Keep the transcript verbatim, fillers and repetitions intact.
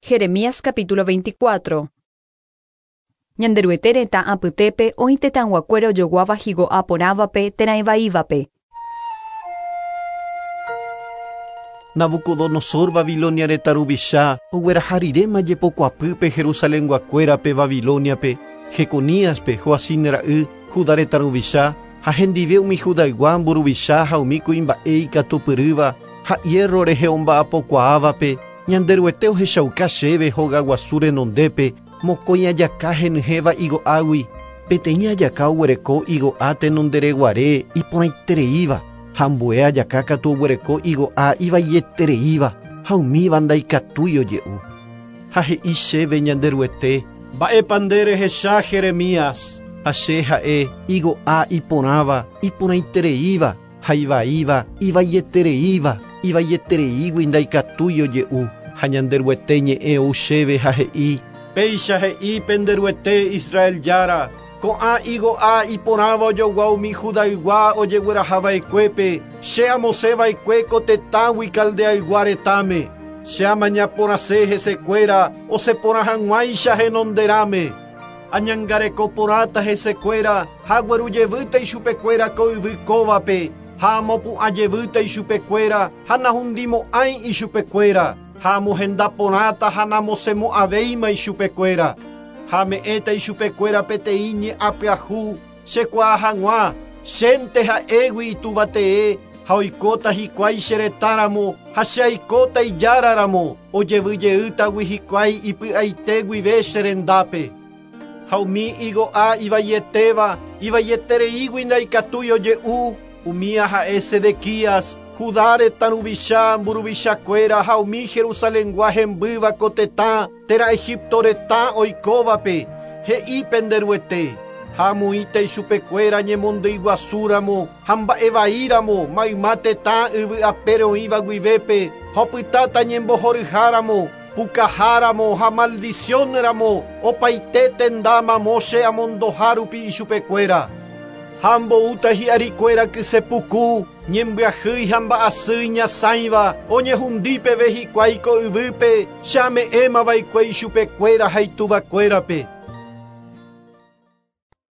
Jeremías capítulo veinticuatro. Ñanderuete retã apytépe oĩ tetãyguakuéra ojoguáva higo'a porãvape térã ivaívape. Nabucodonosor Babilonia retã ruvicha ogueraha riréma jepokuapýpe Jerusalenguakuérape Babiloniape, Jeconíaspe Joacim ra'y Judá retã ruvicha ha hendive umi Judaygua mburuvicha ha umi kuimba'e ikatupyrýva ha hierro rehe omba'apokuaávape Ñanderuete ohechauka chéve hogaguasu renondépe mokõi ajaka henyhẽva igo'águi peteĩ ajaka oguereko igo'a tenondereguare iporãitereíva ha ambue ajaka katu oguereko igo'a ivaietereíva ha umíva ndaikatúi oje'u. Ha he'i chéve Ñanderuete mba'épa nde rehecha Jeremías ha che ha'e igo'a iporãva iporãitereíva ha ivaíva ivaietereíva ivaietereígui ndaikatúi oje'u. Ha Ñanderuete ñe'ẽ ou chéve ha he'i péicha he'i penderuete Israel jára ko'ã igo'a iporãva ojogua umi Judaygua ojeguerahava'ekuépe che amosẽva'ekue ko tetãgui Caldeaygua retãme che amañaporãse hesekuéra osẽporã hag̃uáicha henonderãme añangareko porãta hesekuéra ha aguerujevýta ichupekuéra ko yvy kóvape ha amopu'ãjevýta ichupekuéra ha nahundimo'ãi ichupekuéra ha amohendaporãta ha namosẽmo'ãvéima ichupekuéra ha ame'ẽta ichupekuéra peteĩ ñe'ãpyahu chekuaa hag̃ua chénte ha'égui ituvatee ha oikóta hikuái che retãramo ha che aikóta ijáraramo ojevyjeýtagui hikuái ipy'aite guive che rendápe. Ha umi igo'a ivaietéva ivaietereígui ndaikatúi oje'u umía ha'e Sedequías Judá retã ruvicha mburuvichakuéra ha umi Jerusalengua hembýva ko tetã térã Egipto retã oikóvape he'i penderuete ha amoĩta ichupekuéra ñemondyiguasúramo ha mba'evaíramo mayma tetã yvy apére oĩva guivépe ha opytáta ñembohoryháramo pukaháramo ha maldiciónramo opaite tenda mamo che amondohárupi ichupekuéra. Ha amboúta hi'arikuéra kysepuku ñembyahýi ha mba'asy ñasãiva oñehundípeve hikuái ko yvýpe che ame'ẽmava'ekue ichupekuéra ha ituvakuérape.